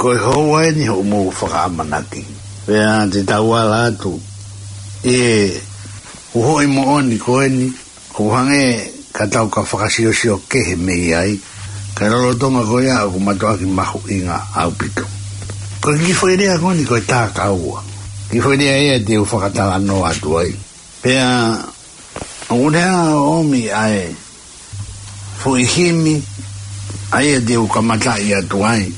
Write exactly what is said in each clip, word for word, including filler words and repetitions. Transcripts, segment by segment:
Ko e houa eni hoʻomou fakaʻamanaki. Pea te tau ala atu ʻi he uhoʻi moʻoni ko eni, ʻoku hangē ka tau ka fakasiosio kehe mei ai, ka lolotonga ko ia ʻoku mātuʻaki mahuʻinga ʻaupito. Ko e kiʻi foʻi lea ko eni ko e tākaua. Kiʻi foʻi lea ia te u fakatalanoa atu ai. Pea ʻoku ne ʻomi ʻa e foʻi himi, ʻa ia te u kamataʻi atu ai.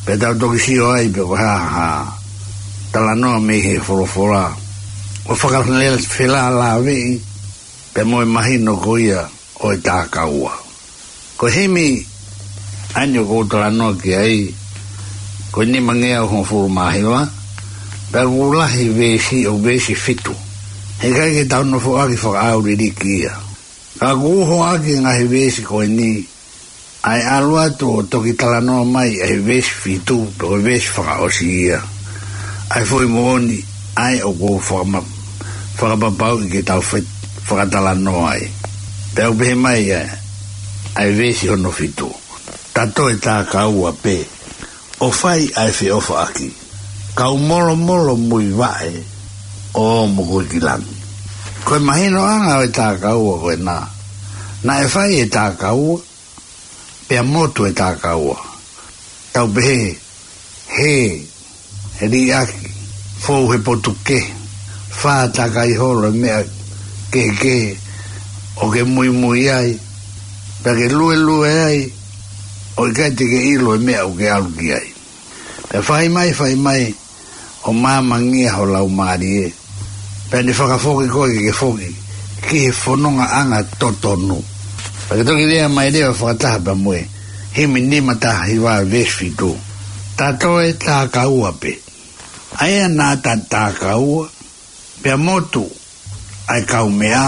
Pea tau toki sio ai pe ko e hā ha talanoa mei he folofola ʻoku fakafelālāveʻi pea mo e mahino ko ia ʻo e tākaua. Ko e himi ʻa eni ʻoku ou talanoa ki ai, ko e nimangeau hongofulu mā hiva, pea ʻoku lahi veesi, ʻoku veesi fitu. Heʻikai ke tau nofoʻaki fakaʻauliliki ia. Ka ʻoku uhoʻaki e ngaahi veesi ko eni, ʻa e ʻalu atu ʻo toki talanoa mai ʻa e veesi fitu, pe ko e veesi fakaʻosi ia. ʻA e foʻi moʻoni, ʻa ia ʻoku ou fakama-, fakapapauʻi ke tau fe-, fakatalanoa ai. Pea ʻoku pehē mai ʻa e, ʻa e veesi hono fitu. Ta toe tākaua pē, ʻo fai ʻa e feʻofaʻaki. Kau molomolo muivaʻe, ʻo ō mo koe ki langi. Ko e mahinoʻanga ʻo e tākaua ko ena. Naʻe fai e tākaua, pea motu e tākaua. Tau pehē, hē, he liʻaki, fou he potu kehe, fā takai holo e meʻa kehekehe ʻoku ke muimui ai, pea ke luelue ai, ʻo ʻikai te ke ʻilo e meʻa ʻoku ke ʻalu ki ai. Pea fai mai, fai mai, ʻo māmangia ho laumālie. Pea ne fakafoki koe ke ke foki ki he fonongaʻanga totonu. Pea ke toki lea mai leva fakataha pea mo e himi nima taha hiva veesi fitu. Ta toe tākaua pē. ʻA ia naʻa ta tākaua, pea motu ʻa e kaumeʻa,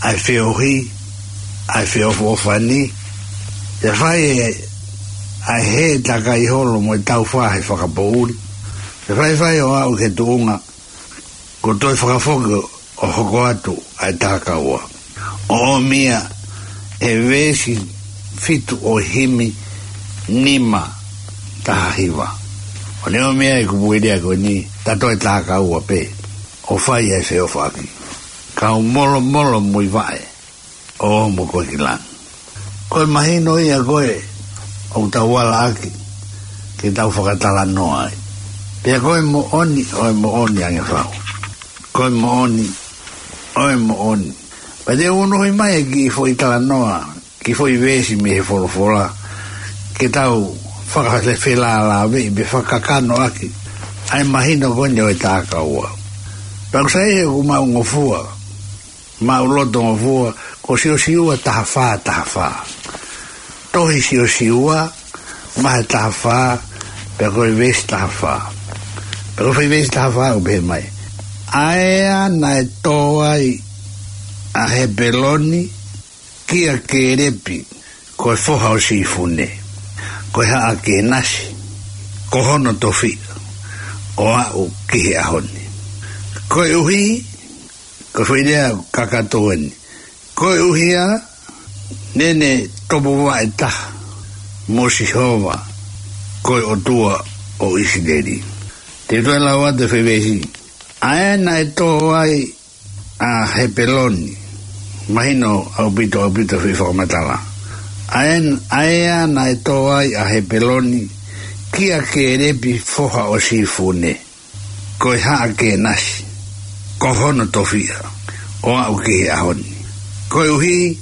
ʻa e feohi, ʻa e feʻofoʻofani, pea fai e, ʻa e hē takai holo mo e taufā he fakapoʻuli, pea faifai ʻo aʻu ki he tuʻunga, kuo toe fakafoki ʻo hoko atu ʻa e tākaua. ʻOku ʻomi ia he veesi fitu ʻo e himi nima taha hiva. ʻOku ne ʻomi ai e kupuʻi lea ko eni, ta toe tākaua pē, ʻo fai ʻa e feʻofaʻaki. Kau molomolo muivaʻe, ʻo ō mo koe ki langi. Ko e mahino ia ko ē ʻoku tau ala ʻaki ke tau fakatalanoa ai. Pea ko e moʻoni ʻo e moʻoni ange fau. Ko e moʻoni ʻo e moʻoni. Pea te u unuhi mai e kiʻi foʻi talanoa, kiʻi foʻi veesi mei he folofola, ke tau fakafelālāveʻi pe fakakakano ʻaki ʻa e mahino ko eni ʻo e tākaua. Pea ʻoku sai he ʻoku maʻungofua, maʻulotongofua, ko Siosiua taha fā, taha fā. Tohi Siosiua, vahe taha fā, pea ko e veesi taha fā. Pea ko e foʻi veesi taha fā ʻoku pehē mai. ʻA ē naʻe tō ai ʻa Hepeloni kia Kēlepi, ko e foha ʻo Sīfune, ko e haʻa Kēnasi, ko hono tofiʻa, ʻo aʻu ki he ʻaho ni. Koeʻuhi, ko e foʻi lea kakato eni. Koeʻuhi ā, naʻa ne topuvaʻe taha mo Sihova, ko e ʻOtua ʻo ʻIsileli. Te u toe lau atu e foʻi veesi. ʻA ē naʻe tō ai ʻa Hepeloni. Mahino ʻaupito, ʻaupito e foʻi fakamatala. ʻA ē, ʻa ē naʻe tō ai ʻa Hepeloni kia Kēlepi foha ʻo Sīfune, ko e haʻa Kēnasi, ko hono tofiʻa, ʻo aʻu ki he ʻaho ni. Koeʻuhi,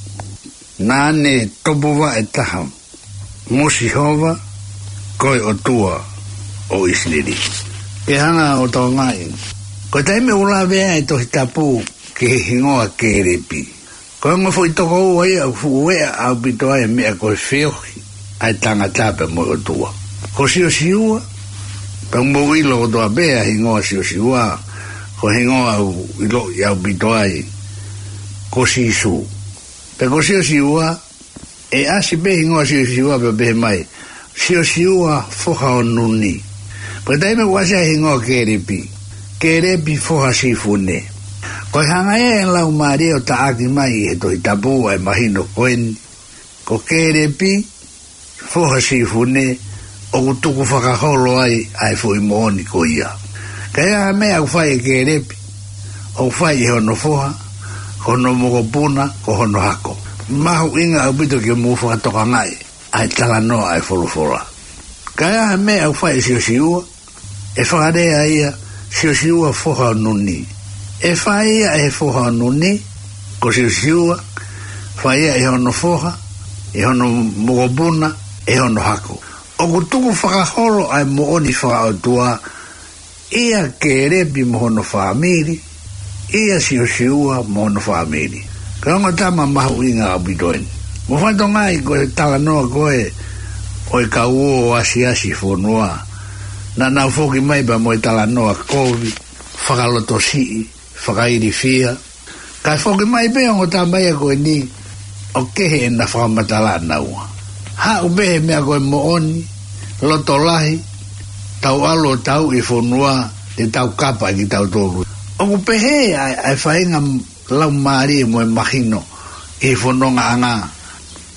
naʻa ne topuvaʻe taha mo Sihova, ko e ʻOtua ʻo ʻIsileli. Ke hanga ʻo tokangaʻi, ko e taimi ʻoku lave ai e Tohi Tapu ki he hingoa Kēlepi, ko e ongo foʻi tokoua ia ʻoku fuʻu eʻa ʻaupito ai e meʻa ko e feohi ʻa e tangata pea mo e ʻOtua. Ko Siosiua, pea mou ʻilo kotoa pē ʻa e hingoa Siosiua, ko e hingoa ʻoku ʻiloʻi ʻaupito ai ko Sīsū. Pea ko Siosiua, ʻe ʻasi pē hingoa Siosiua pea pehē mai, Siosiua foha ʻo Nuni. Pea taimi ʻoku ʻasi ai hingoa Kēlepi, Kēlepi foha Sīfune. Ko e hanga ē ʻe he Laumālie ʻo taʻaki mai ʻi he Tohi Tapu ʻa e mahino ko eni, ko Kēlepi foha Sīfune, ʻoku tukufakaholo ai ʻa e foʻi moʻoni ko ia. Ka ʻi ai ha meʻa ʻoku fai ʻe Kēlepi, ʻoku fai ʻe hono foha, ko hono mokopuna, ko hono hako. Mahuʻinga ʻaupito ke mou fakatokangaʻi ʻa e talanoa ʻa e folofola. Ka ʻi ai ha meʻa ʻoku fai ʻe Siosiua, ʻe fakalea ia, Siosiua foha ʻo Nuni. ʻE fai ia ʻe he foha ʻo Nuni, ko Siosiua, fai ia ʻe hono foha, ʻe hono mokopuna, ʻe hono hako. ʻOku tukufakaholo ʻa e moʻoni fakaʻotua ʻia Kēlepi mo hono fāmili, ʻia Siosiua mo hono fāmili. Ko e ongo tama mahuʻinga ʻaupito eni. Mou fakatokangaʻi ko e talanoa ko ē ʻo e kau ō ʻo asiasi fonua. Naʻa nau foki mai pea mo e talanoa kovi, fakalotosiʻi, fakailifia. Kae foki mai pē ongo tama ia ko eni ʻo kehe ʻena fakamatala ʻanaua. Haʻu pē he meʻa ko e moʻoni, loto lahi, tau ʻalu ʻo tauʻi fonua, te tau kapa kitautolu. ʻOku pehē ʻa e, ʻa e faʻahinga laumālie mo e mahino ʻi he fonongaʻanga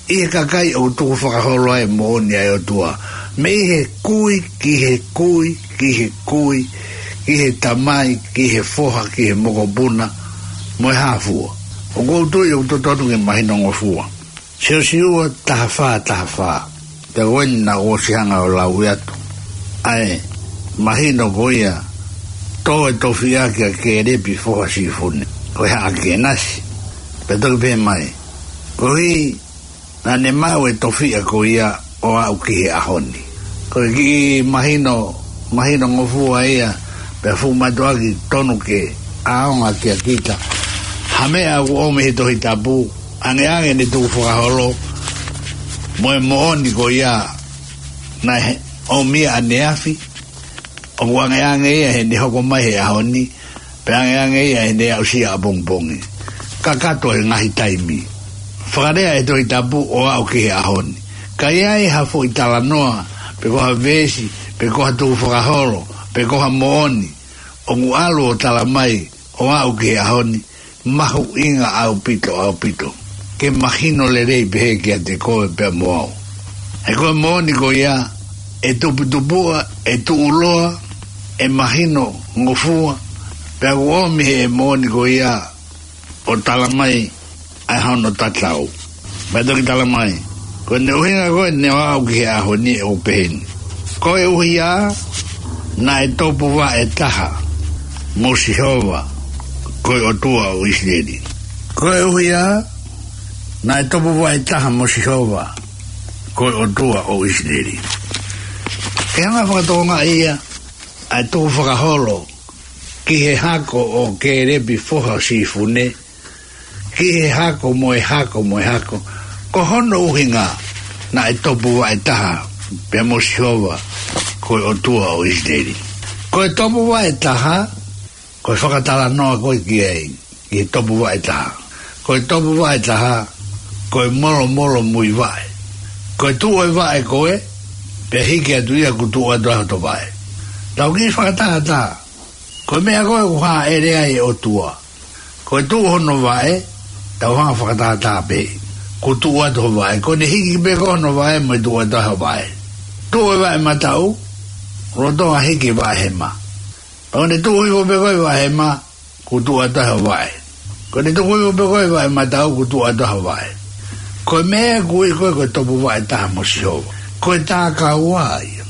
ʻi he kakai ʻoku tukufakaholo ai e moʻoni ʻa e ʻOtua. Mei he kui, ki he kui, ki he kui, ki he tamai, ki he foha, ki he mokopuna, mo e hā fua. ʻOku ou tui ʻoku totonu ke mahinongofua. Siosiua taha fā, taha fā. Pea ko eni naʻa ku ʻosi hanga ʻo lau atu ʻa e mahino ko ia, tō e tofiʻa kia Kēlepi foha ʻo Sīfune, ko e Haʻa Kēnasi. Pea toki pehē mai, koeʻuhi naʻa ne maʻu e tofiʻa ko ia ʻo aʻu ki he ʻaho ni. Ko e kiʻi mahino, mahinongofua ia, pea fuʻu mātuʻaki tonu ke ʻaonga kia kita ha meʻa ʻoku ʻomi he Tohi Tapu, angeange ʻene tukufakaholo mo e moʻoni ko ia naʻe ʻomi ʻaneafi, ʻoku angeange ia heʻene hoko mai he ʻaho ni, pea angeange ia heʻene aʻusia ʻapongipongi. Kakato e ngaahi taimi. Fakalea e Tohi Tapu ʻo aʻu ki he ʻaho ni. Ka ʻi ai ha foʻi talanoa, pe ko ha veesi, pe ko ha tukufakaholo, pe ko ha moʻoni ʻoku ʻalu ʻo tala mai ʻo aʻu ki he ʻaho ni, mahuʻinga ʻaupito, ʻaupito ke mahino lelei pehē kiate koe pea mo au. He ko e moʻoni ko ia, ʻe tuputupuʻa, ʻe tuʻuloa, ʻe mahinongofua, pea ʻoku ʻomi he moʻoni ko ia ʻo tala mai ʻa hono tatau. Pea toki tala mai, ko ʻene ʻuhinga ko ē naʻe aʻu ki he ʻaho ni ʻoku peheni. Koeʻuhi naʻe topuvaʻe taha mo Sihova, ko e ʻOtua ʻo ʻIsileli. Koeʻuhi naʻe topuvaʻe taha mo Sihova, ko e ʻOtua ʻo ʻIsileli. Ke hanga fakatokangaʻi ia, ʻa e tukufakaholo ki he hako ʻo Kēlepi foha ʻo Sīfune, ki he hako mo e hako mo e hako. Ko hono ʻuhinga naʻe topuvaʻe taha pea mo Sihova, ko e ʻOtua ʻo ʻIsileli. Ko e topuvaʻe taha, ko e fakatalanoa ko ē ki ai, ki he topuvaʻe taha. Ko e topuvaʻe taha, ko e molomolomuivaʻe. Ko e tuʻu e vaʻe ko ē, pea hiki atu ia kuo tuʻu atu ai hoto vaʻe. Tau kiʻi fakatātā. Ko e meʻa ko ē ʻoku hāʻele ai e ʻOtua. Ko e tuʻu hono vaʻe, tau hanga fakatātā pē. Kuo tuʻu atu ho vaʻe. Ko ʻene hiki pē ko ē hono vaʻe, mo e tuʻu atu ai ho vaʻe. Tuʻu e vaʻe mataʻu, lolotonga hiki e vaʻe hema. Pea ko ʻene tuʻu hifo pē ko ē vaʻe hema, kuo tuʻu atu ai ho vaʻe. Ko ʻene tuʻu hifo pē ko ē vaʻe mataʻu, kuo tuʻu atu ai ho vaʻe. Ko e meʻa ʻoku ui ko ē ko e topuvaʻe taha mo Sihova. Ko e tākaua ia.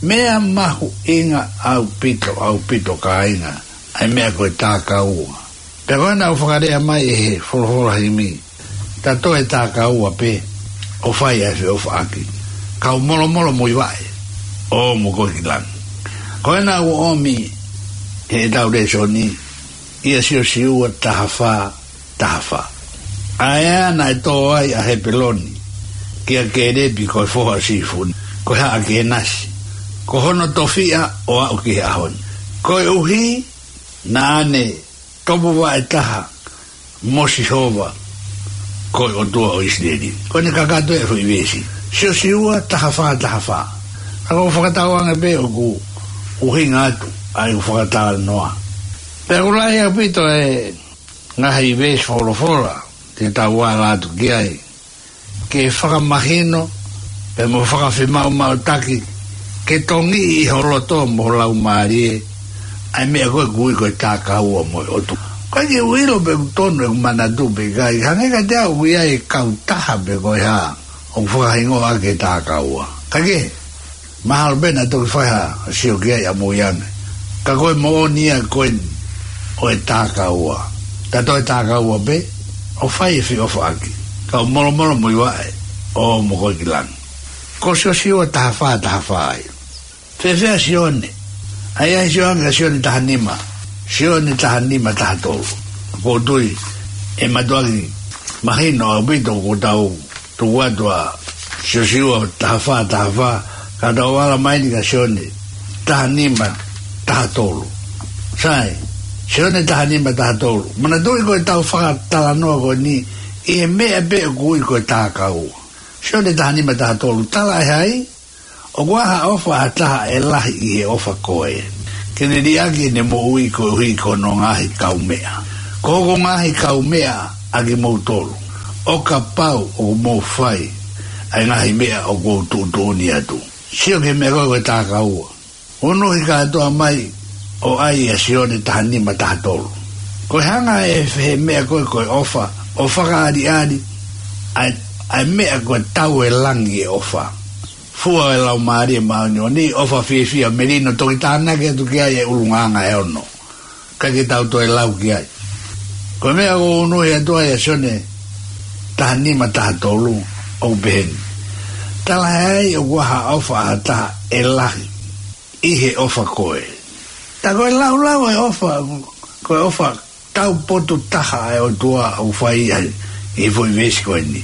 Meʻa mahuʻinga ʻaupito, ʻaupito kāinga, ʻa e meʻa ko e tākaua. Pea ko ena ʻoku fakalea mai ʻe he folofola himi, ta toe tākaua pē ʻo fai ʻa e feʻofaʻaki. Kau molomolomuivaʻe ʻo ō mo koe ki langi. Ko ena ʻoku ʻomi heʻetau lēsoni, ʻia Siosiua taha fā, taha fā. ʻA ē naʻe tō ai ʻa Hepeloni kia Kēlepi ko e foha ʻo Sīfune, ko e Haʻa Kēnasi, ko hono tofiʻa ʻo aʻu ki he ʻaho ni. Koeʻuhi naʻa ne topuvaʻe taha mo Sihova, ko e ʻOtua ʻo ʻIsileli. Ko ʻene kakato e foʻi veesi. Siosiua taha fā, taha fā. Ka ʻoku ou fakatauange pē ʻoku ʻuhinga atu ʻa ʻeku fakatalanoa. Pea ʻoku lahi ʻaupito e ngaahi veesi folofola te tau ala atu ki ai, ke fakamahino pea mo fakafemaumautaki ke tongiʻi ʻi ho loto mo ho laumālie ʻa e meʻa ko ē ʻoku ui ko e takaua mo e ʻOtua. ʻOku ʻikai ke u ʻilo pe ʻoku tonu ʻeku manatu pe ʻikai, hangē kiate au ʻoku ʻi ai e kautaha pe ko e hā ʻoku fakahingoa ʻaki e takaua. Kae kehe, mahalo pē naʻa toki fai ha sio ki ai ʻamui ange. Ka ko e moʻoni ia ko eni ʻo e takaua. Ta toe takaua pē, ʻo fai e feʻofaʻaki. Kau molomolomuivaʻe, ʻo mo koe ki langi. Ko Siosiua taha fā taha fā ia. Fēfē ʻa Sione? ʻA ia ʻe sio ange ʻa Sione taha nima. Sione taha nima taha tolu. ʻOku ou tui ʻe mātuʻaki mahino ʻaupito kuo tau tuku atu ʻa Siosiua taha fā taha fā, ka tau ala mai eni kia Sione taha nima taha tolu. Sai, Sione taha nima taha tolu. Manatuʻi ko ʻetau fakatalanoa ko eni ʻi he meʻa pē ʻoku ui ko e takaua. Sione taha nima taha tolu, tala ʻe hai, ʻoku ʻi ai ha ʻofa ʻa ha taha ʻe lahi ʻi he ʻofa ko ē, ke ne liʻaki ʻene moʻui koeʻuhi ko hono ngaahi kaumeʻa. Ko hoku ngaahi kaumeʻa ʻa kimoutolu, ʻo kapau ʻoku mou fai ʻa e ngaahi meʻa ʻoku ou tuʻutuʻuni atu. Sio ki he meʻa ko ē ko e takaua. Unuhi kātoa mai ʻo ʻai ʻa Sione taha nima taha tolu. Ko e hanga ʻe he meʻa ko ē ko e ʻofa ʻo fakaʻaliʻali ʻa e, ʻa e meʻa ko e tau e langi e ʻofa. Fua e Laumālie Māʻoniʻoni, ʻofa fiefia melino, toki tānaki atu ki ai e ʻulungaanga ʻe ono. Ka ke tau toe lau ki ai. Ko e meʻa ʻoku unuhi atu ai ʻa Sione taha nima taha tolu, ʻoku pehē ni. Tala ʻe hai, ʻoku ʻi ai ha ʻofa ʻa ha taha ʻe lahi ʻi he ʻofa ko ē. Ta ko e laulau e ʻofa, ko e ʻofa taupotu taha ʻa e ʻOtua ʻoku fai ai ʻi he foʻi veesi ko eni.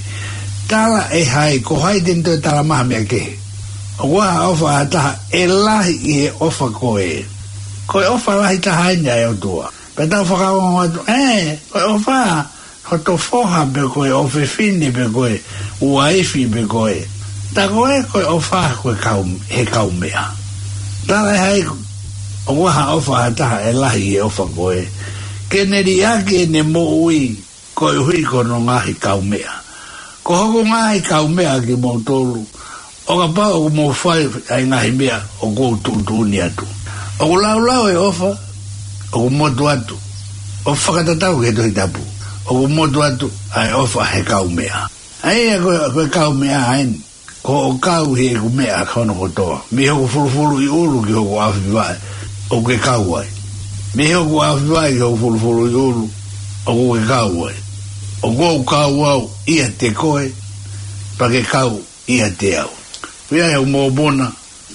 Tala ʻe hai, ko hai te ne toe tala mai ha meʻa kehe? ʻOku ʻi ai ha ʻofa ʻa ha taha ʻe lahi ʻi he ʻofa ko ē. Ko e ʻofa lahi taha eni ʻa e ʻOtua. Pea tau fakaongo atu, ē, ko e ʻofa hoto foha pe ko e ʻofefine pe ko e uaifi pe ko e. Ta ko e, ko e ʻofa ko e kau, he kaumeʻa. Tala ʻe hai, ʻoku ʻi ai ha ʻofa ʻa ha taha ʻe lahi ʻi he ʻofa ko ē, ke ne liʻaki ʻene moʻui koeʻuhi ko hono ngaahi kaumeʻa. Ko hoku ngaahi kaumeʻa ʻa kimoutolu, ʻo kapau ʻoku mou fai ʻa e ngaahi meʻa ʻoku ou tuʻutuʻuni atu. ʻOku laulau e ʻofa ʻoku motu atu, ʻo fakatatau ki he Tohi Tapu, ʻoku motu atu ʻa e ʻofa he kaumeʻa. ʻA ia ko e, ko e kaumeʻa eni, ko hoʻo kau heʻeku meʻa hono kotoa, mei hoku fulufuluʻi ʻulu ki hoku ʻaofivaʻe, ʻoku ke kau ai. Mei hoku ʻaofivaʻe ki hoku fulufuluʻi ʻulu, ʻoku ke kau ai. ʻOku ou kau au ʻiate koe, pea ke kau ʻiate au. Pea ʻi he mōpuna,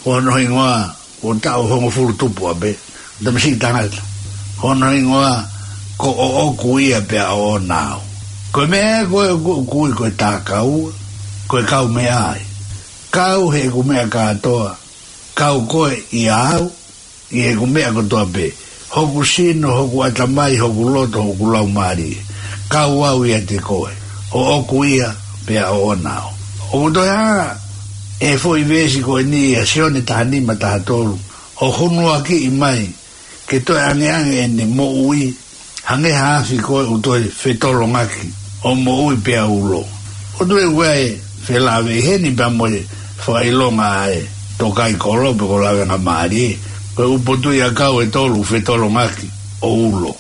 ko hono hingoa, ko e taʻu hongofulu tupu ʻapē, tamasiʻi tangata. Ko hono hingoa, ko ʻOku Ia Pea ʻOʻona Au. Ko e meʻa ko ē ʻoku, ʻoku ui ko e takaua, ko e kaumeʻa ia. Kau heʻeku meʻa kātoa, kau koe ʻia au, ʻi heʻeku meʻa kotoa pē. Hoku sino, hoku ʻatamai, hoku loto, hoku laumālie. Kau au ʻiate koe. ʻOku Ia Pea ʻOʻona Au. ʻOku toe hanga ʻe he foʻi veesi ko eni ʻa Sione taha nima taha tolu ʻo hunuakiʻi mai ke toe angeange ʻene moʻui, hangē ha afi ko ē ʻoku toe fetolongaki, ʻo moʻui pea ulo. ʻOku toe ʻi ai e felāveʻi heni pea mo e fakaʻilonga ʻa e tōkaikolo pe ko e lavengamālie, ko e ʻū potuʻi ʻakau ʻe tolu ʻoku fetolongaki ʻo ulo.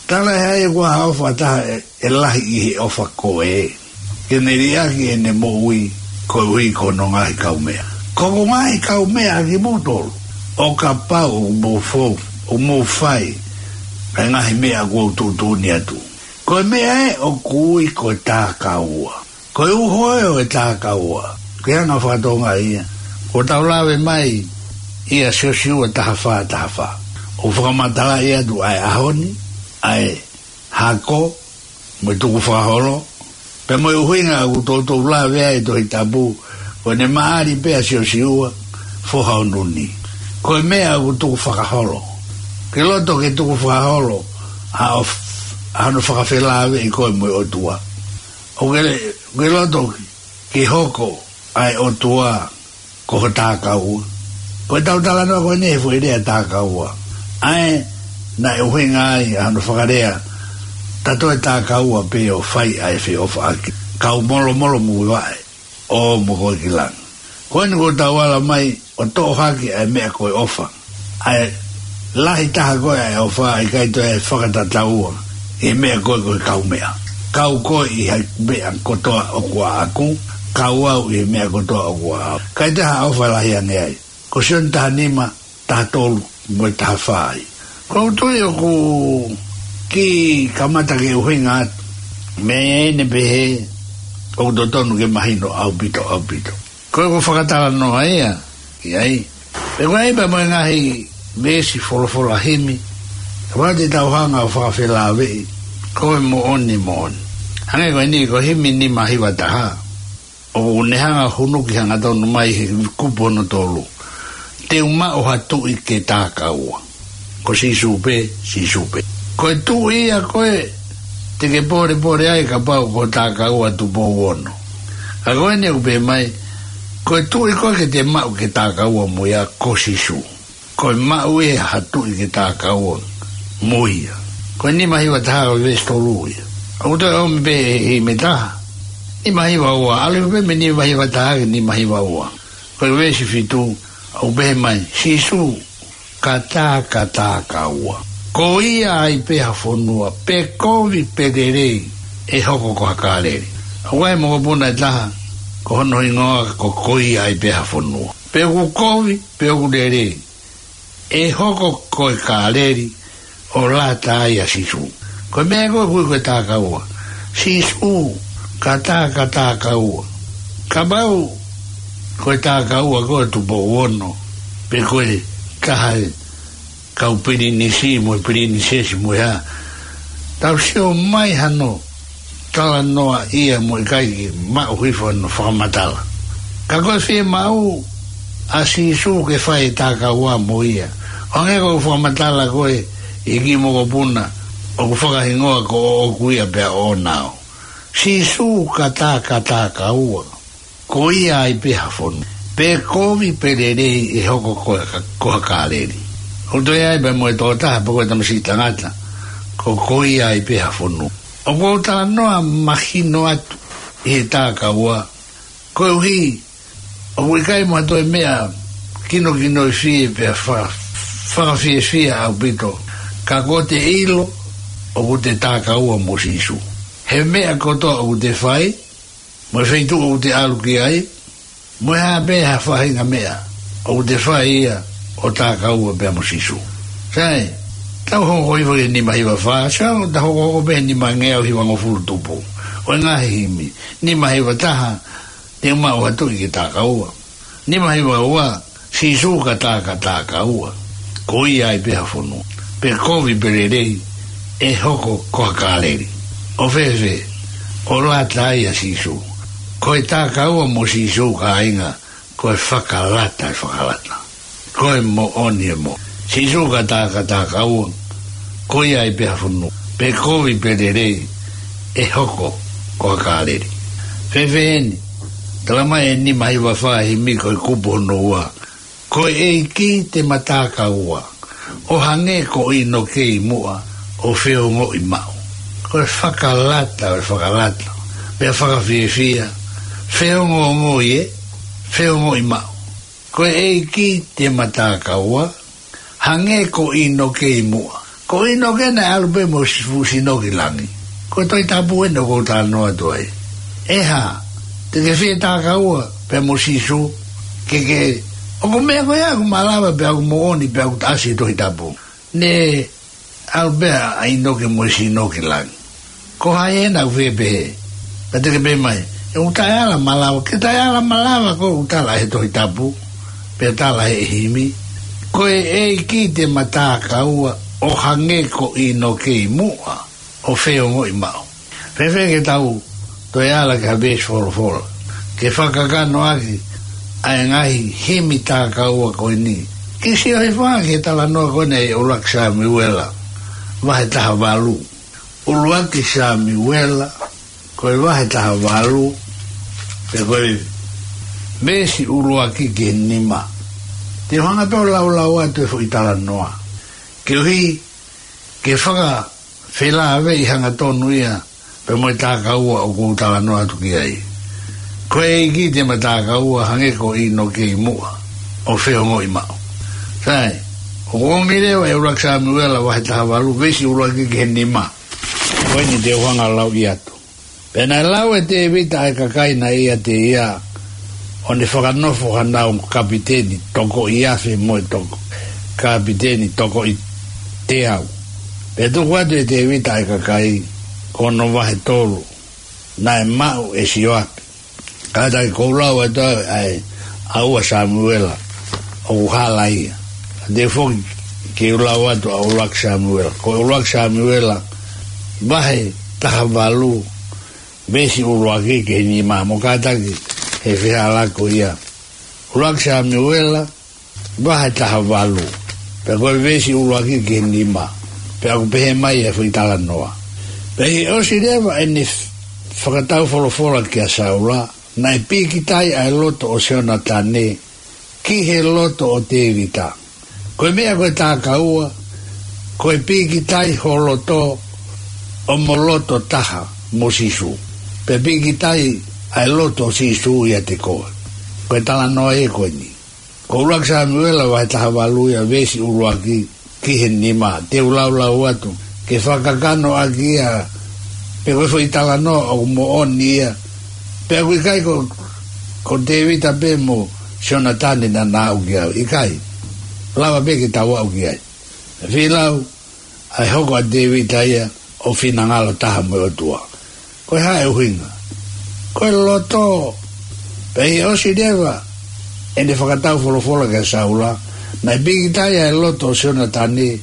Tala ʻe hai, ʻoku ʻi ai ha ʻofa ʻa ha taha ʻe, ʻe lahi ʻi he ʻofa ko ē, ke ne liʻaki ʻene moʻui koeʻuhi ko hono ngaahi kaumeʻa. Ko hoku ngaahi kaumeʻa ʻa kimoutolu, ʻo kapau ʻoku mou fou, ʻoku mou fai ʻa e ngaahi meʻa ʻoku ou tuʻutuʻuni atu. Ko e meʻa ē ʻoku ui ko e takaua. Ko e uho ē ʻo e takaua, ke hanga ʻo fakatokangaʻi ia, ʻoku tau lave mai ʻia Siosiua taha fā taha fā. ʻOku fakamatalaʻi atu ʻa e ʻaho ni, ʻa e hako, mo e tukufakaholo, pea mo e ʻuhinga ʻoku toutou lave ai e Tohi Tapu, ko ʻene maʻali pē ʻa Siosiua, foha ʻo Nuni. Ko e meʻa ʻoku tukufakaholo. Ke loto ke tukufakaholo, ʻa ʻo f-, ʻa hono fakafelāveʻi koe mo e ʻOtua. ʻOku ke, ke loto ke hoko ʻa e ʻOtua ko ho takaua. Ko ʻetau talanoa ko eni he foʻi lea takaua, ʻa ē naʻe ʻuhinga ai ʻa hono fakalea, ta toe takaua pē ʻo fai ʻa e feʻofaʻaki. Kau molomolomuivaʻe, ʻo mo koe ki langi. Ko eni kuo tau ala mai ʻo toʻo hake ʻa e meʻa ko e ʻofa. ʻA e lahi taha ko ē ʻa e ʻofa, ʻikai toe fakatataua ʻi he meʻa ko ē ko e kaumeʻa. Kau koe ʻi he meʻa kotoa ʻoku ʻaʻaku, kau au ʻi he meʻa kotoa ʻoku ʻaʻau. ʻIkai toe ha ʻofa lahi ange ai. Ko Sione taha nima, taha tolu, mo e taha fā ai. Ko u tui ʻoku kiʻi kamata ke ʻuhinga atu. Meʻa ʻeni pehē, ʻoku totonu ke mahino ʻaupito, ʻaupito. Ko ʻeku fakatalanoa ia ki ai. Pea ko e ʻai pē mo e ngaahi veesi folofola himi, ʻoua te tau hanga ʻo fakafelāveʻi, ko e moʻoni, moʻoni. Hangē ko eni, ko e himi nima hiva taha, ʻoku ne hanga ʻo hunuki hangatonu mai he kupu hono tolu: Te u maʻu ha tuʻi ke takaua. Ko Sīsū pē, Sīsū pē. Ko e tuʻi ia ko ē te ke pōlepole ai kapau ko e takaua Tupou Ono. Ka ko eni ʻoku pehē mai, ko e tuʻi ko ē ke te maʻu ke takaua mo ia ko Sīsū. Ko e maʻu ia ha tuʻi ke takaua mo ia. Ko e nima hiva taha ko e veesi tolu ia. ʻOku toe ʻomi pē ʻe he himi taha. Nima hiva ua, ʻalu pē mei nima hiva taha ki he nima hiva ua. Ko e veesi fitu, ʻoku pehē mai, Sīsū, ka tā, ka takaua. Ko ia ai pē ha fonua, pe kovi pe lelei, ʻe hoko ko ha Kāleli. ʻOku ʻi ai e mokopuna ʻe taha, ko hono hingoa ko Ko Ia Ai Pē Ha Fonua. Pe ʻoku kovi, pe ʻoku lelei, ʻe hoko ko e Kāleli, ʻo lata ai ʻa Sīsū. Ko e meʻa ko ē ʻoku ui ko e takaua. Sīsū, ka tā, ka takaua. Kapau ko e takaua ko ē Tupou Ono, pe ko e taha e kau pilinisi mo e pilinisesi mo e hā, tau sio mai hano talanoa ia mo e ʻikai ke maʻu hifo hono fakamatala. Ka ko e fiemaʻu ʻa Sīsū ke fai e takaua mo ia. ʻO hangē ko e fakamatala ko ē ʻi he kiʻi mokopuna ʻoku fakahingoa ko ʻOku Ia Pea ʻOʻona Au. Sīsū, ka tā, ka takaua. Ko ia ai pē ha fonua. Pe kovi pe lelei, ʻe hoko ko, ko ha Kāleli. ʻOku toe ʻi ai pē mo e tokotaha pe ko e tamasiʻi tangata, ko, ko ia ai pē ha fonua. ʻOku ou talanoa mahino atu ʻi he takaua, koeʻuhi ʻoku ʻikai mo ha toe meʻa kinokinoifie pea fa-, fakafiefia ʻaupito ka ko ʻete ʻilo ʻoku te takaua mo Sīsū. He meʻa kotoa ʻoku te fai, mo e feituʻu ʻoku te ʻalu ki ai, mo e hā pē ha faʻahinga meʻa ʻoku te fai ia, ʻo takaua pea mo Sīsū. Sai, tau hokohoko hifo ki he nima hiva fā, sai, ʻo tau hokohoko pē he nima ngeau hiva ngofulu tupu ʻo e ngaahi himi. Nima hiva taha, te u maʻu ha tuʻi ke takaua. Nima hiva ua, Sīsū, ka tā, ka takaua. Ko ia ai pē ha fonua. Pe kovi pe lelei, ʻe hoko ko ha Kāleli. ʻO fēfē? ʻO lata ai ʻa Sīsū. Ko e takaua mo Sīsū, kāinga, ko e fakalata ʻo e fakalata. Ko e moʻoni ʻo e moʻoni. Sīsū, ka tā, ka takaua. Ko ia ai pē ha fonua. Pe kovi pe lelei, ʻe hoko ko ha Kāleli. Fēfē eni? Tala mai ʻe he nima hiva fā, himi ko e kupu hono ua: Ko e ʻEiki te ma takaua, ʻo hangē ko ʻInoke ʻi muʻa, ʻo feongoʻi maʻu. Ko e fakalata ʻo e fakalata, pea fakafiefia, feongoongo ē, feongoʻi maʻu. Ko e ʻEiki te ma takaua, hangē ko ʻInoke ʻi muʻa. Ko ʻInoke naʻe ʻalu pē mo Sīsū ʻo sino ki langi. Ko e Tohi Tapu eni ʻoku ou talanoa atu ai. ʻE hā, te ke fie takaua pea mo Sīsū? Ke ke, ʻoku meʻa ko ia ʻoku malava pea ʻoku moʻoni pea ʻoku ʻasi he Tohi Tapu. Ne ʻalu pē ʻa ʻInoke mo e sino ki langi. Ko hai ena ʻoku fie pehē? Pea te ke pehē mai, ʻoku taʻeala malava. Ke taʻeala malava, ko ʻoku tala he Tohi Tapu, pea tala he himi. Ko e ʻEiki te ma takaua, ʻo hangē ko ʻInoke ʻi muʻa, ʻo feongoʻi maʻu. Fēfē ke tau toe ala ki ha veesi folofola ke fakakakanoʻaki ʻa e ngaahi himi takaua ko eni? Kiʻi sio hifo ange ki he talanoa ko eni ʻi he ʻUluaki Samiuela, vahe taha valu. ʻUluaki Samiuela, ko e vahe taha valu, pea ko e veesi ʻuluaki ki he nima. Te u hanga pē ʻo laulau atu e foʻi talanoa, koeʻuhi ke fakafelāveʻi hangatonu ia pea mo e takaua ʻoku ou talanoa atu ki ai. Ko e ʻEiki te ma takaua, hangē ko ʻInoke ʻi muʻa, ʻo feongoʻi maʻu. Sai, ʻoku ʻomi leva ʻe ʻUluaki Samiuela vahe taha valu, veesi ʻuluaki ki he nima. Ko eni te u hanga ʻo lauʻi atu. Pea naʻe lau ʻe Tēvita ʻa e kakai naʻe ʻiate ia, ʻo ne fakanofo hanau kapiteni tokoʻi afe mo e toko, kapiteni tokoʻi teau. Pea tuku atu ʻe Tēvita ʻa e kakai, ko hono vahe tolu, naʻe maʻu ʻe Sioapi. Kātaki, ʻoku ou lau atu ʻa e, ʻa ʻUluaki Samiuela, ʻoku hala ia. Te u foki ke u lau atu ʻa ʻUluaki Samiuela. Ko ʻUluaki Samiuela, vahe taha valu, veesi ʻuluaki ki he nima, mou kātaki he fehālaaki ko ia. ʻUluaki Samiuela, vahe taha valu, pea ko e veesi ʻuluaki ki he nima, pea ʻoku pehē mai e foʻi talanoa. Pea ʻi he ʻosi leva ʻene f-, fakataufolofola kia Saula, naʻe pīkitai ʻa e loto ʻo Sionatane ki he loto ʻo Tēvita. Ko e meʻa ko e takaua, ko e pīkitai ho loto ʻo mo loto taha mo Sīsū. Pea pīkitai ʻa e loto ʻo Sīsū ʻiate koe. Ko e talanoa ia ko eni. Ko ʻUluaki Samiuela vahe taha valu ia veesi ʻuluaki ki he nima. Te u laulau atu ke fakakakano ʻaki ia, pe ko e foʻi talanoa ʻoku moʻoni ia. Pea ʻoku ʻikai ko, ko Tēvita pē mo Sionatane naʻa nau aʻu ki ai. ʻIkai. Lava pē ke tau aʻu ki ai. Fie lau, ʻa e hoko ʻa Tēvita ia ʻo finangalo taha mo e ʻOtua. Ko e hā e ʻuhinga? Ko e loto. Pea ʻi he ʻosi leva ʻene fakataufolofola kia Saula, naʻe pīkitai ʻa e loto ʻo Sionatane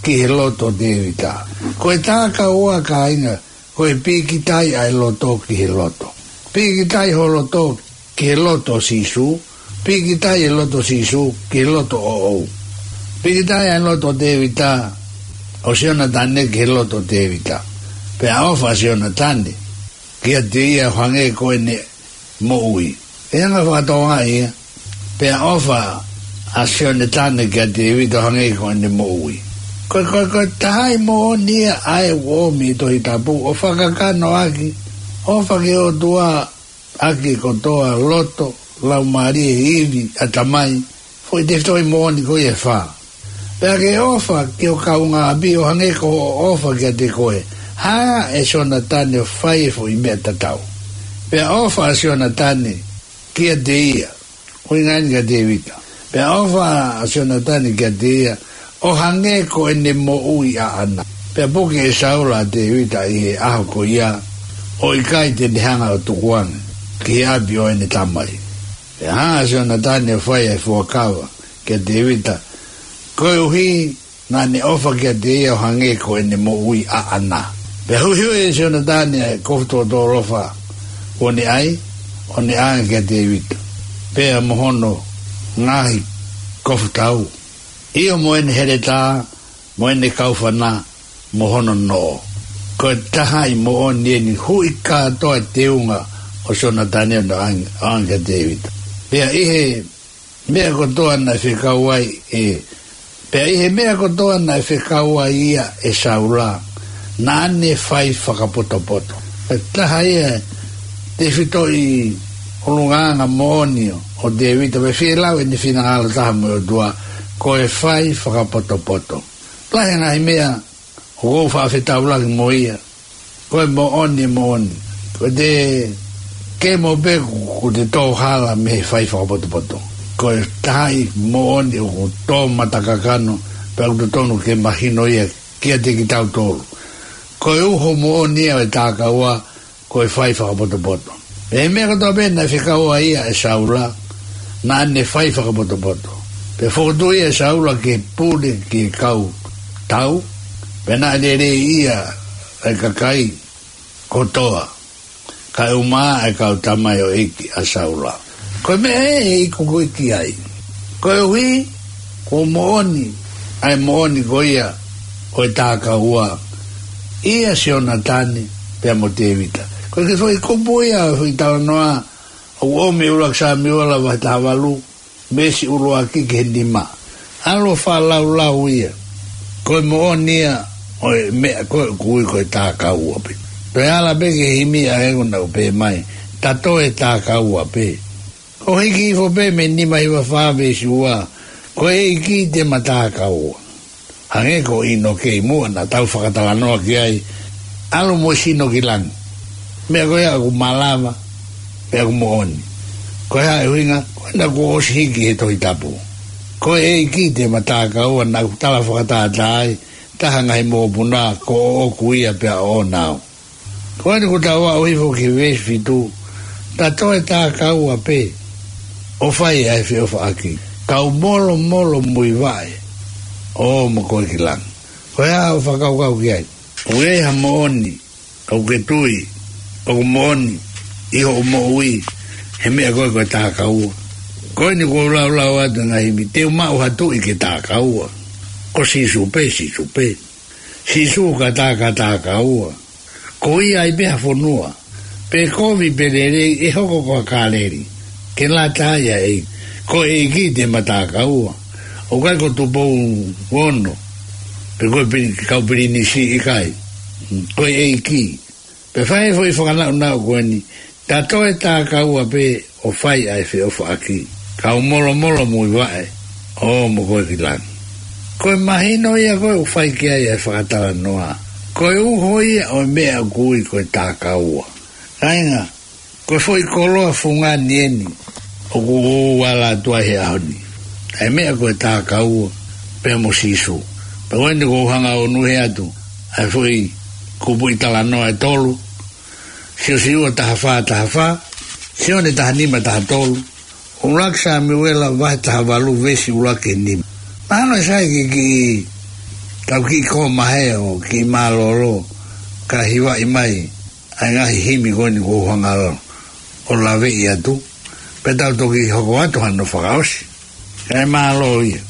ki he loto ʻo Tēvita. Ko e takaua, kāinga, ko e pīkitai ʻa e loto ki he loto. Pīkitai ho loto ki he loto ʻo Sīsū, pīkitai e loto ʻo Sīsū ki he loto ʻoʻou. Pīkitai e loto ʻo Tēvita, ʻo Sionatane ki he loto ʻo Tēvita. Pea ʻofa ʻa Sionatane kiate ia ʻo hangē ko ʻene moʻui. ʻE anga fakatokangaʻi ia, pea ʻofa ʻa Sionatane kia Tēvita ʻo hangē ko ʻene moʻui. Ko, ko, ko e taha ʻi he moʻoni ia ʻa e ʻomi ʻi he Tohi Tapu, ʻo fakakakano ʻaki, ʻofa ki he ʻOtua ʻaki kotoa loto, laumālie, ivi, ʻatamai, foʻi tefitoʻi moʻoni ko ia ʻe fā. Pea ke ʻofa ki ho kaungāʻapi ʻo hangē ko hoʻo ʻofa kiate koe. Hanga ʻe Sionatane ʻo fai e foʻi meʻa tatau. Pea ʻofa ʻa Sionatane kiate ia, ʻuhinga eni kia Tēvita. Pea ʻofa ʻa Sionatane kiate ia, ʻo hangē ko ʻene moʻui ʻaʻana. Pea puke ʻe Saula ʻa Tēvita ʻi he ʻaho ko ia, ʻo ʻikai te ne hanga ʻo tukuange ki he ʻapi ʻo ʻene tamai. Pea hanga ʻe Sionatane ʻo fai e fuakava kia Tēvita, koeʻuhi naʻa ne ʻofa kiate ia ʻo hangē ko ʻene moʻui ʻaʻana. Pea huʻihuʻi ʻe Sionatane ʻa e kofu tōtōlofa kuo ne ʻai, ʻo ne ʻange kia Tēvita, pea mo hono ngaahi kofu tau, ʻio mo ʻene heletā, mo ʻene kaufana, mo hono noʻo. Ko e taha ʻi he moʻoni eni, huʻi kātoa e teunga ʻo Sionatane ʻo ne ʻange, ʻange kia Tēvita. Pea ʻi he meʻa kotoa naʻe fekau ai ʻe, pea ʻi he meʻa kotoa naʻe fekau ai ia ʻe Saula, naʻa ne fai fakapotopoto. Ko e taha ia e tefitoʻi ʻulungaanga moʻoni ʻo, ʻo Tēvita, pea fie lau ʻene finangalo taha mo e ʻOtua, ko e fai fakapotopoto. Lahi e ngaahi meʻa ʻoku ou faʻa fetaulaki mo ia. Ko e moʻoni, moʻoni. Ko e te kemo pē kuo, kuo te tō hala mei he fai fakapotopoto. Ko e taha ʻi he moʻoni ʻoku tō matakakano, pea ʻoku totonu ke mahino ia kiate kitautolu. Ko e uho moʻoni ia ʻo e takaua, ko e fai fakapotopoto. Pea ʻi he meʻa kotoa pē naʻe fekau ai ia ʻe Saula, naʻa ne fai fakapotopoto. Pea fokotuʻu ia ʻe Saula ke pule ki he kau tau, pea naʻe lelei ia ʻa e kakai kotoa, kae ʻumaʻā ʻa e kau tamaioʻeiki ʻa Saula. Ko e meʻa ē ʻe ikuʻi ki ai. Koeʻuhi, kuo moʻoni ʻa e moʻoni ko ia ʻo e takaua, ʻia Sionatane pea mo Tēvita. Ko e kiʻi foʻi kupu ia ʻo e foʻi talanoa ʻoku ʻomi ʻe ʻUluaki Samiuela vahe taha valu, veesi ʻuluaki ki he nima. ʻAlu ʻo faʻa laulau ia. Ko e moʻoni ia ʻo e meʻa ko ē ʻoku ui ko e takaua pē. Toe ala pē ki he himi ʻa ē ʻoku nau pehē mai, ta toe takaua pē. ʻO hiki hifo pē mei he nima hiva fā veesi ua, ko e ʻEiki te ma takaua. Hangē ko ʻInoke ʻi muʻa naʻa tau fakatalanoa ki ai, ʻalu mo e sino ki langi. Meʻa ko ia ʻoku malava, pea ʻoku moʻoni. Ko e hā e ʻuhinga? Ko ʻena kuo ʻosi hiki he Tohi Tapu. Ko e ʻEiki te ma takaua naʻa ku tala fakatātā ai, taha ngaahi mokopuna, ko ʻoʻoku ia pea ʻoʻona au. Ko eni kuo tau aʻu hifo ki he veesi fitu, ta toe takaua pē, ʻo fai ʻa e feʻofaʻaki. Kau molomolo muivaʻe, ʻo ō mo koe ki langi. Ko e hā hoʻo fakakaukau ki ai? ʻOku ʻi ai ha moʻoni, ʻoku ke tui, ʻoku moʻoni, ʻi hoʻo moʻui, he meʻa ko ē ko e takaua. Ko eni kuo u laulau atu ngaahi himi, te u maʻu ha tuʻi ke takaua. Ko Sīsū pē, Sīsū pē. Sīsū ka tā ka takaua. Ko ia ai pē ha fonua. Pe kovi pe lelei ʻe hoko ko ha Kāleli. Ke lata ia ʻEiki. Ko e ʻEiki te ma takaua. ʻOku ʻikai ko Tupou Ono. Pe ko e pili-, kau pilinisi ʻikai. Ko e ʻEiki. Pea fai e foʻi fakanaʻunaʻu ko eni, ta toe takaua pē ʻo fai ʻa e feʻofaʻaki. Kau molomolo muivaʻe, ʻo ō mo koe ki langi. Ko e mahino ia ko ē ʻoku fai ki ai ʻa e fakatalanoa. Ko e uho ia ʻo e meʻa ʻoku ui ko e takaua. Kāinga, ko e foʻi koloa fungani eni, ʻoku ou ala atu ai he ʻaho ni. ʻA e meʻa ko e takaua, pea mo Sīsū. Pea ko eni kuo u hanga ʻo ʻunuʻi atu, ʻa e foʻi kupuʻi talanoa ʻe tolu, Siosiua taha fā taha fā, Sione taha nima taha tolu, ʻUluaki Samiuela vahe taha valu veesi ʻuluaki ki he nima. Mahalo ʻe sai ke kiʻi, tau kiʻi kōmahe ʻo kiʻi mālōlō, ka hivaʻi mai, ʻa e ngaahi himi ko eni kuo u hanga ʻo laveʻi atu, pea tau toki hoko atu hano fakaʻosi. Kae mālō ia.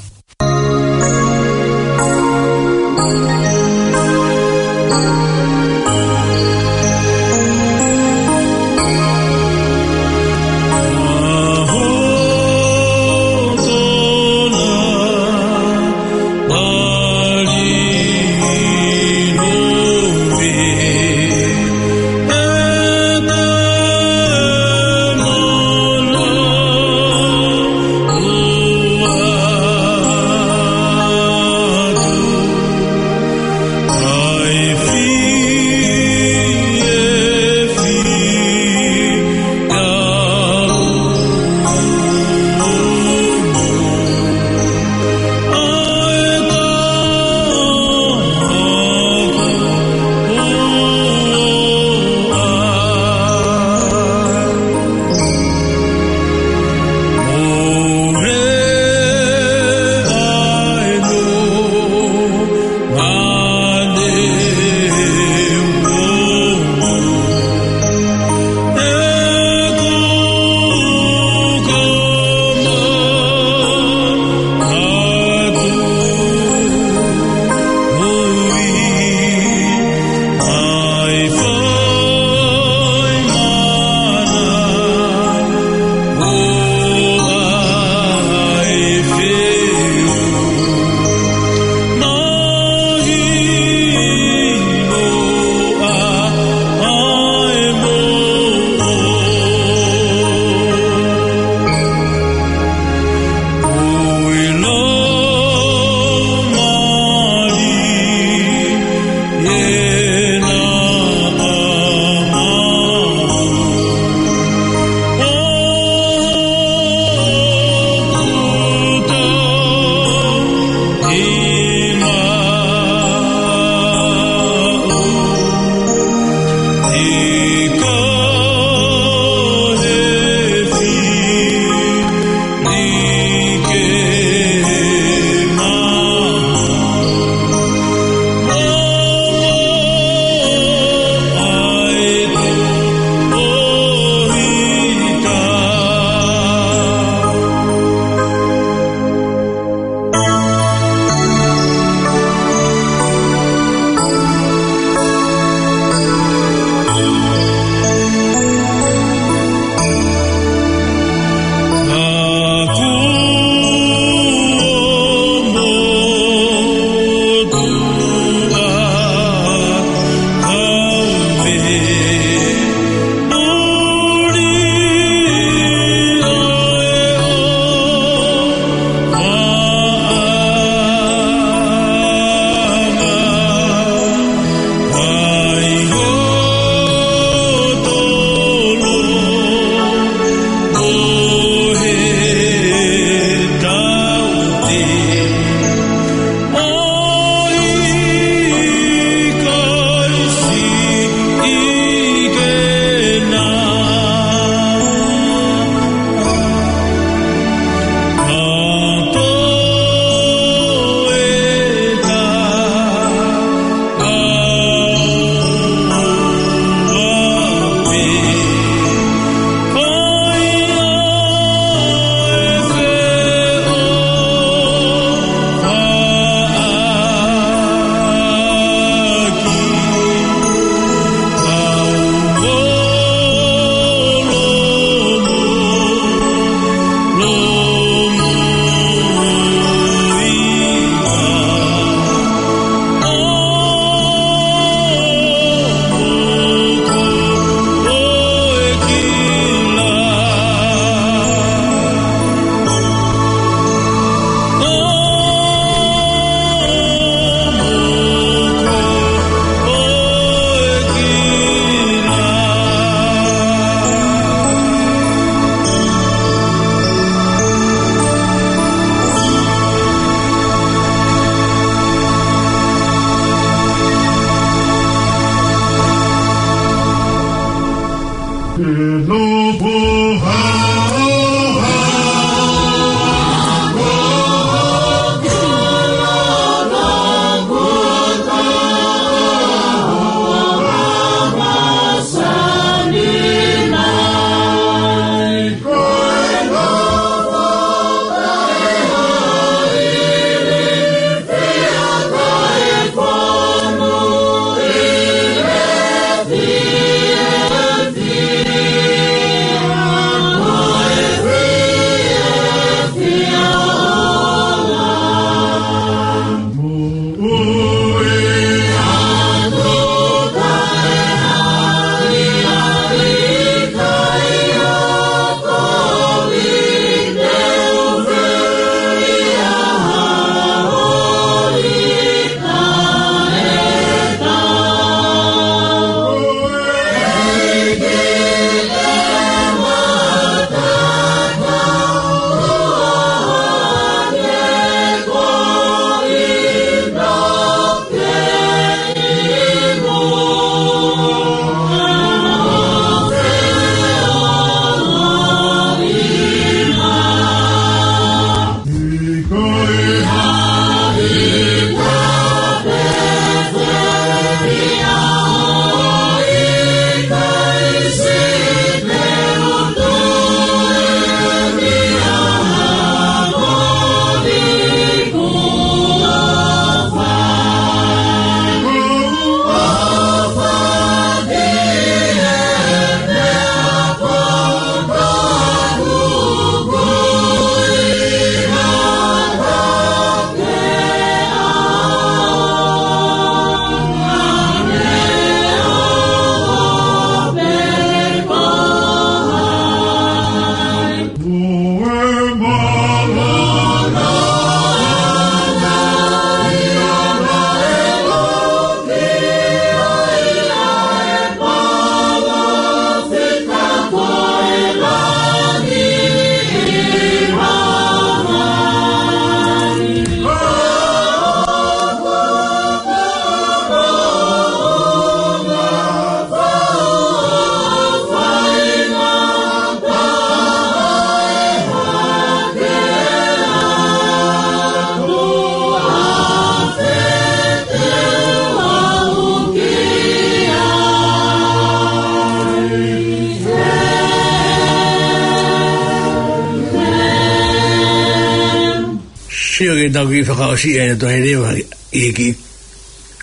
Sio ke tau kiʻi fakaʻosi ʻa e tohi leva ʻi he kiʻi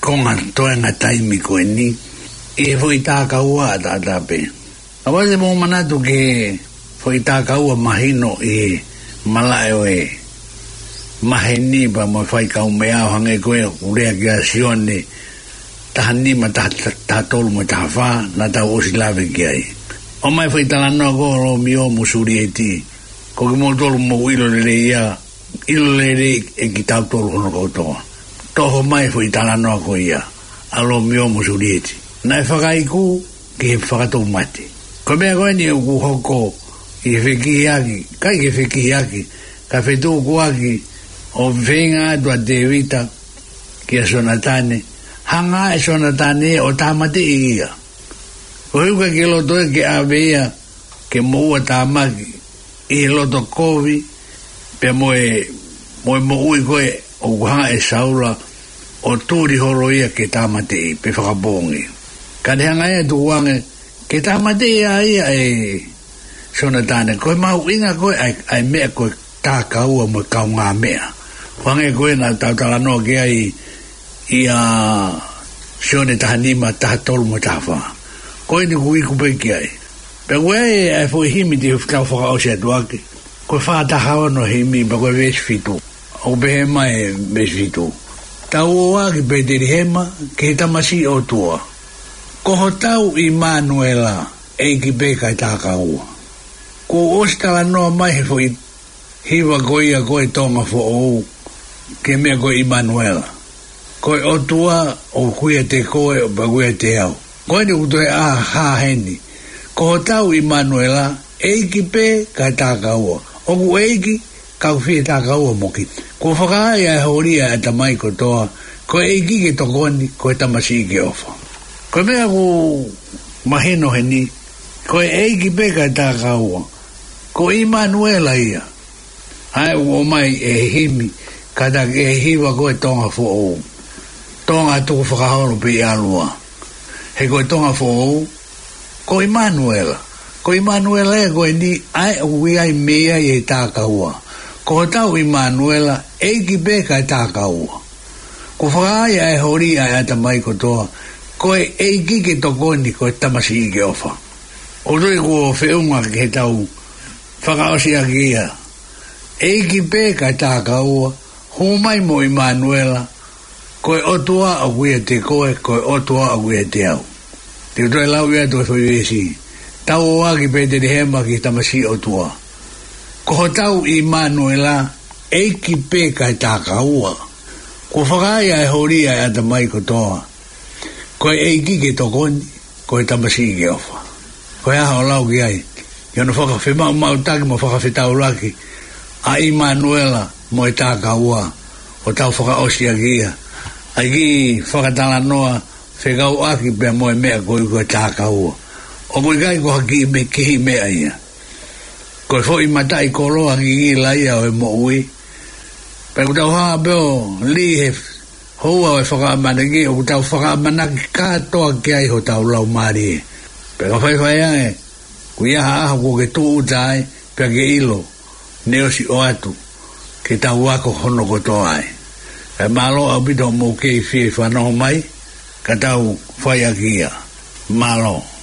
konga toenga taimi ko eni, ʻi he foʻi tā kaua ʻataʻatā pē. ʻOua te mou manatu ki he foʻi tā kaua mahino ʻi he malaʻe ʻo e maheni pea mo e faikaumeʻa ʻo hangē ko e ʻoku lea kia Sione taha nima, taha, taha tolu mo e taha fā, naʻa tau ʻosi lave ki ai. ʻOmai foʻi talanoa ko Lomio mo Sulieti, ko kimoutolu mou ʻilo lelei ia, ʻilo lelei ʻe kitautolu hono kotoa. Toho mai foʻi talanoa ko ia, ʻa Lomio mo Sulieti. Naʻe fakaiku ki he fakatoumate. Ko e meʻa ko eni ʻoku hoko ʻi he fekihiaki, ʻikai ke fekihiaki, ka fetukuaki ʻo feinga atu ʻa Tēvita kia Sonatane, hanga ʻe Sonatane ʻo tāmateʻi ia. Ko e ʻuhinga ke loto ē ke ʻave ia ke moʻua tāmaki ʻi he loto kovi, pea mo e, mo e moʻui ko ē ʻoku hanga ʻe Saula ʻo tuli holo ia ke tāmateʻi pe fakapoongi. Ka ne hanga ia ʻo tukuange ke tāmateʻi ʻa ia ʻe Sonatane. Ko e mahuʻinga ko ē ʻa e, ʻa e meʻa ko e tā kaua mo e kaungāmeʻa. Hangē ko ē naʻa tau talanoa ki ai ʻia Sione taha nima, taha tolu mo e taha fā. Ko eni ʻoku iku pē ki ai. Pea ko e, ʻa e foʻi himi te u tau fakaʻosi atu ʻaki, ko e fā taha ono himi, pea ko e veesi fitu. ʻOku pehē mai e veesi fitu: Tau ō ā ki Petelihema, ki he tamasiʻi ʻOtua. Ko hotau ʻImanuela, ʻEiki pē kae tā kaua. Kuo ʻosi talanoa mai he foʻi hiva ko ia ko e Tonga Foʻou ki he meʻa ko e ʻImanuela. Ko e ʻOtua ʻoku ʻiate koe pea ʻoku ʻiate au. Ko eni ʻoku toe ʻā hā heni. Ko hotau ʻImanuela, ʻEiki pē kae tā kaua. ʻOku ʻEiki, ka ʻoku fie tā kaua mo kita. Kuo fakaai ʻa e holi ʻa e ʻatamai kotoa, ko e ʻEiki ke tokoni, ko e tamasiʻi ke ʻofa. Ko e meʻa ʻoku mahino heni, ko e ʻEiki pē kae tā kaua, ko ʻImanuela ia. ʻA ē ʻoku ʻomai ʻe he himi, kātaki ʻe he hiva ko e Tonga Foʻou. Tonga tukufakaholo pē ʻi ʻolunga. He ko e Tonga Foʻou, ko ʻImanuela. Ko ʻImanuela ē ko eni, ʻa ē ʻoku ʻi ai mei ai e tā kaua. Ko hotau ʻImanuela, ʻEiki pē kae tā kaua. Kuo fakaai ʻa e holi ʻa e ʻatamai kotoa, ko e ʻEiki ke tokoni, ko e tamasiʻi ke ʻofa. ʻOku ou tui kuo feʻunga ke tau fakaʻosi ʻaki ia. ʻEiki pē kae tā kaua, hū mai mo ʻImanuela, ko e ʻOtua ʻoku ʻiate koe, ko e ʻOtua ʻoku ʻiate au. Te u toe lau ia ʻa e foʻi veesi. Tau ō ā ki Petelihema ki he tamasiʻi ʻOtua. Ko hotau ʻImanuela, ʻEiki pē kae tā kaua. Kuo fakaai ʻa e holi ʻa e ʻatamai kotoa, ko e ʻEiki ke tokoni, ko e tamasiʻi ke ʻofa. Ko e hā hoʻo lau ki ai, ʻi hono fakafemaʻumaʻutaki mo fakafetaulaki ʻa ʻImanuela mo e tā kaua, ʻo tau fakaʻosi ʻaki ia ʻa e kiʻi fakatalanoa fekauʻaki pea mo e meʻa ko ē ko e tā kaua. ʻOku ʻikai ko ha kiʻi me-, kiʻi meʻa ia. Ko e foʻi mataʻikoloa ngingila ia ʻo e moʻui. Pea ʻoku tau hā pē ʻo lī he houa ʻo e fakaʻamanaki, ʻoku tau fakaʻamanaki kātoa ki ai hotau laumālie. Pea ka faifai ange, ʻoku ʻi ai ha ʻaho kuo ke tūʻuta ai, pea ke ʻilo, ne ʻosi ʻoatu ke tau ako hono kotoa ai. Kae mālō ʻaupito hoʻomou kei fie fanongo mai, ka tau fai ʻaki ia. Mālō.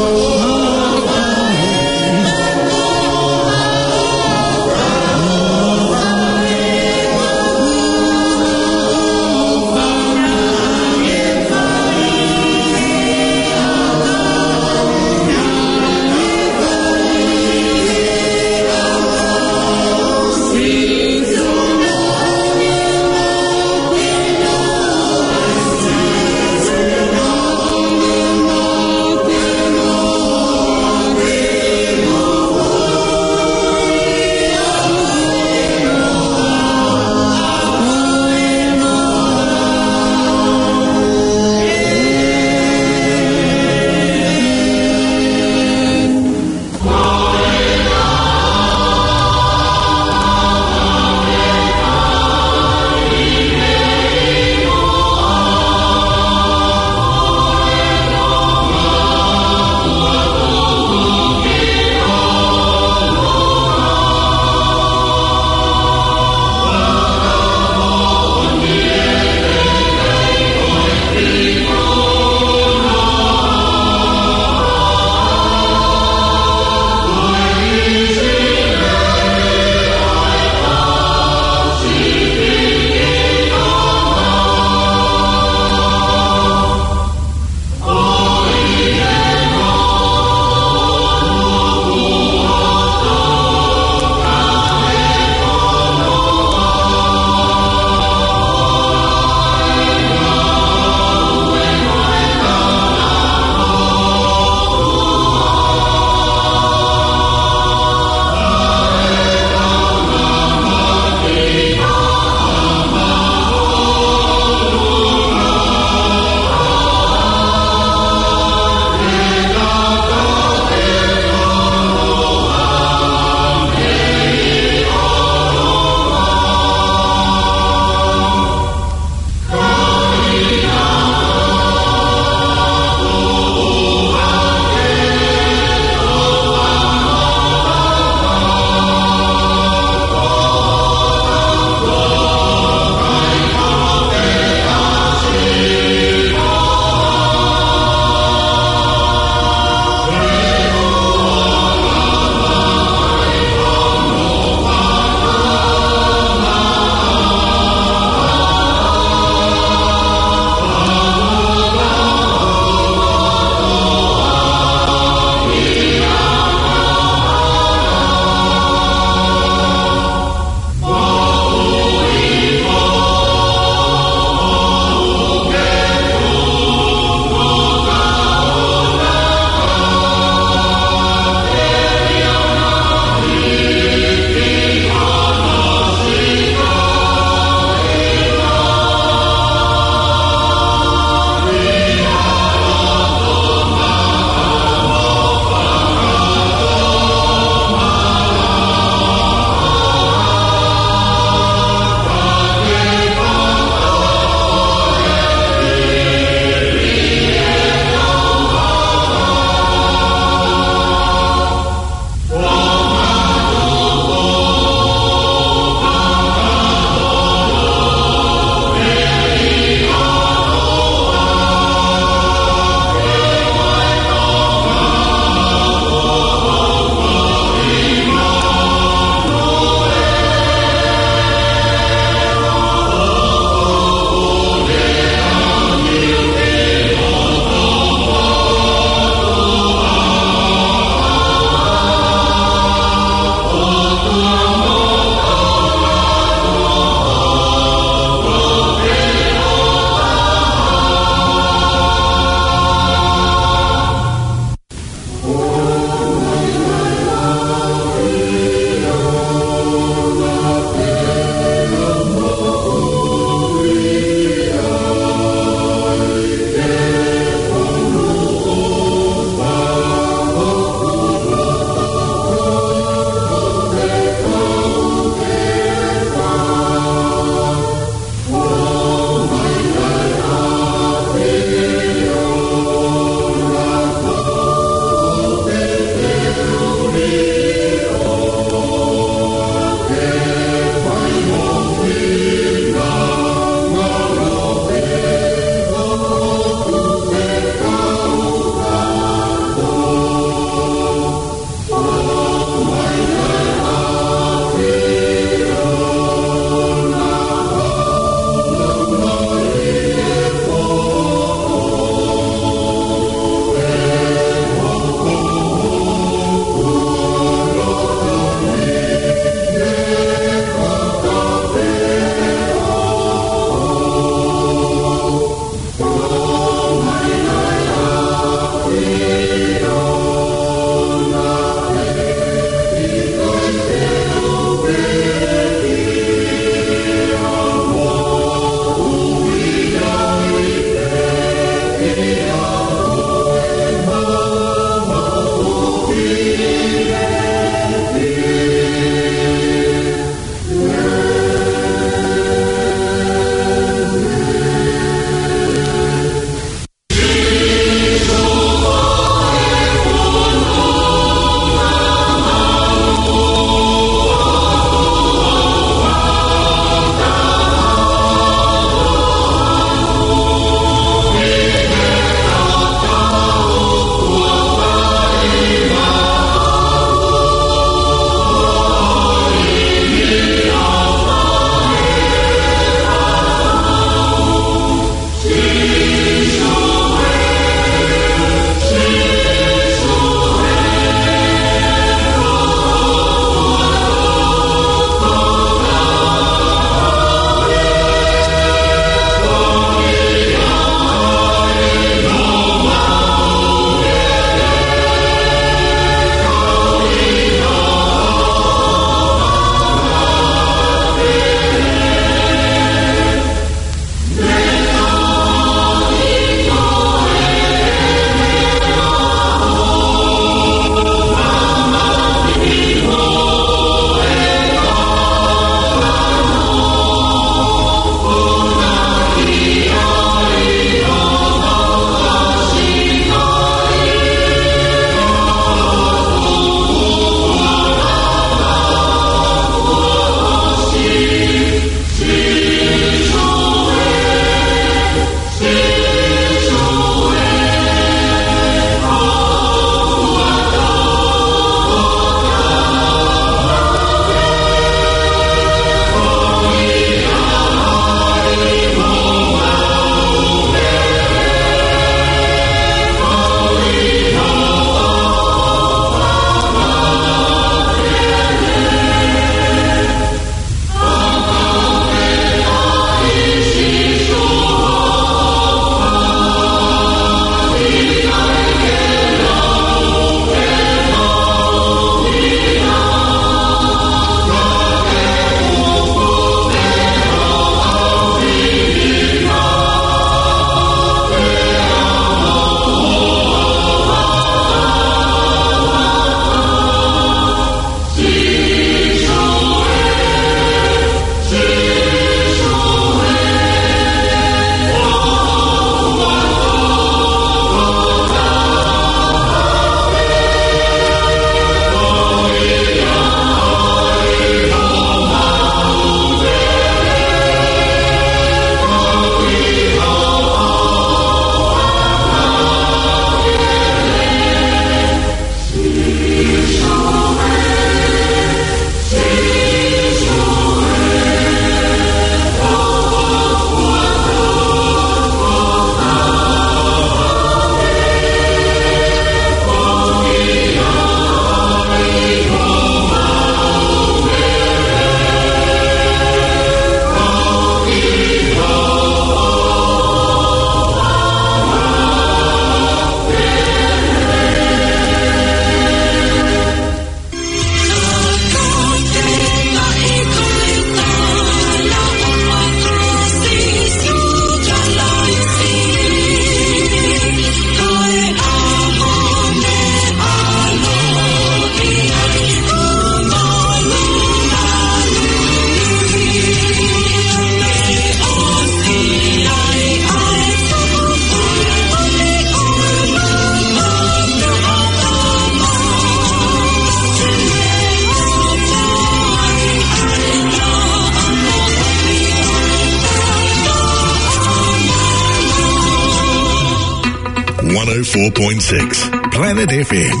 four point six Planet F M.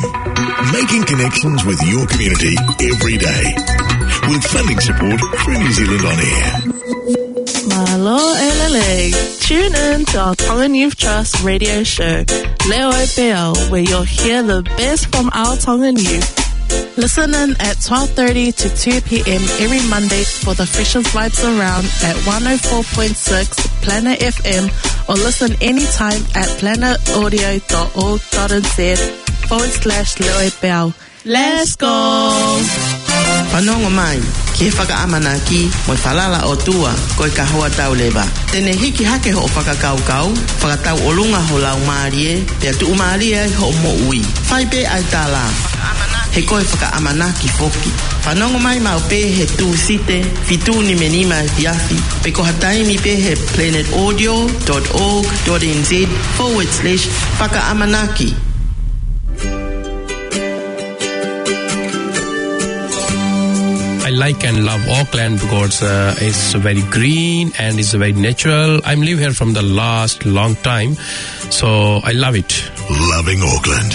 Making connections with your community every day. With funding support through New Zealand On Air. Mālō e lelei. Tune in to our Tongan Youth Trust radio show, Leo Peau, where you'll hear the best from our Tongan youth. Listen in at twelve thirty to two p.m. every Monday for the freshest vibes around at one oh four point six Planet F M, or listen anytime at planetaudio.org.nz forward slash Leo Peau. Let's go! Fanongo mai ki he fakaʻamanaki mo e falala ʻOtua, ko e kahoa tau leva. Te ne hiki hake hoʻo fakakaukau, fakatauʻolunga ho laumālie, pea tuʻumālie ai hoʻo moʻui. Fai pē ʻa e tala, he ko e fakaʻamanaki foki. Fanongo mai maʻu pē he Tūsite, fitu nima nima efiafi, pe ko ha taimi pē he planetaudio.org.nz forward slash fakaʻamanaki. I like and love Auckland because uh, it's very green and it's very natural. I'm live here from the last long time, so I love it. Loving Auckland.